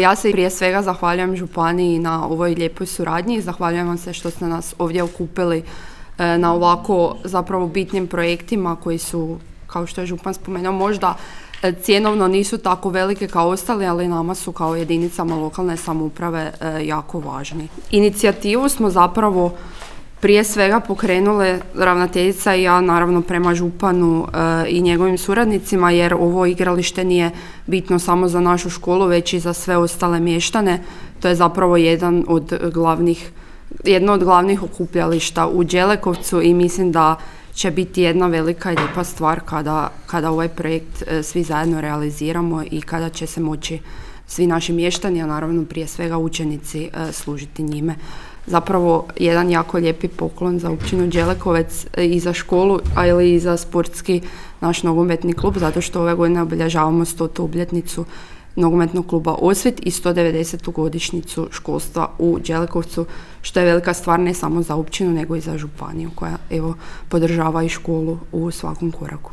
Ja se prije svega zahvaljujem županiji na ovoj lijepoj suradnji. Zahvaljujem vam se što ste nas ovdje okupili na ovako zapravo bitnim projektima koji su, kao što je župan spomenuo, možda cjenovno nisu tako velike kao ostali, ali nama su kao jedinicama lokalne samouprave jako važni. Inicijativu smo zapravo prije svega pokrenule ravnateljica i ja, naravno prema županu i njegovim suradnicima, jer ovo igralište nije bitno samo za našu školu, već i za sve ostale mještane. To je zapravo jedno od glavnih okupljališta u Đelekovcu i mislim da će biti jedna velika i lijepa stvar kada ovaj projekt svi zajedno realiziramo i kada će se moći svi naši mještani, a naravno prije svega učenici, služiti njime. Zapravo jedan jako lijepi poklon za općinu Đelekovec i za školu, ali i za sportski naš nogometni klub, zato što ove godine obilježavamo 100. obljetnicu nogometnog kluba Osvit i 190. godišnjicu školstva u Đelekovcu, što je velika stvar ne samo za općinu nego i za županiju koja podržava i školu u svakom koraku.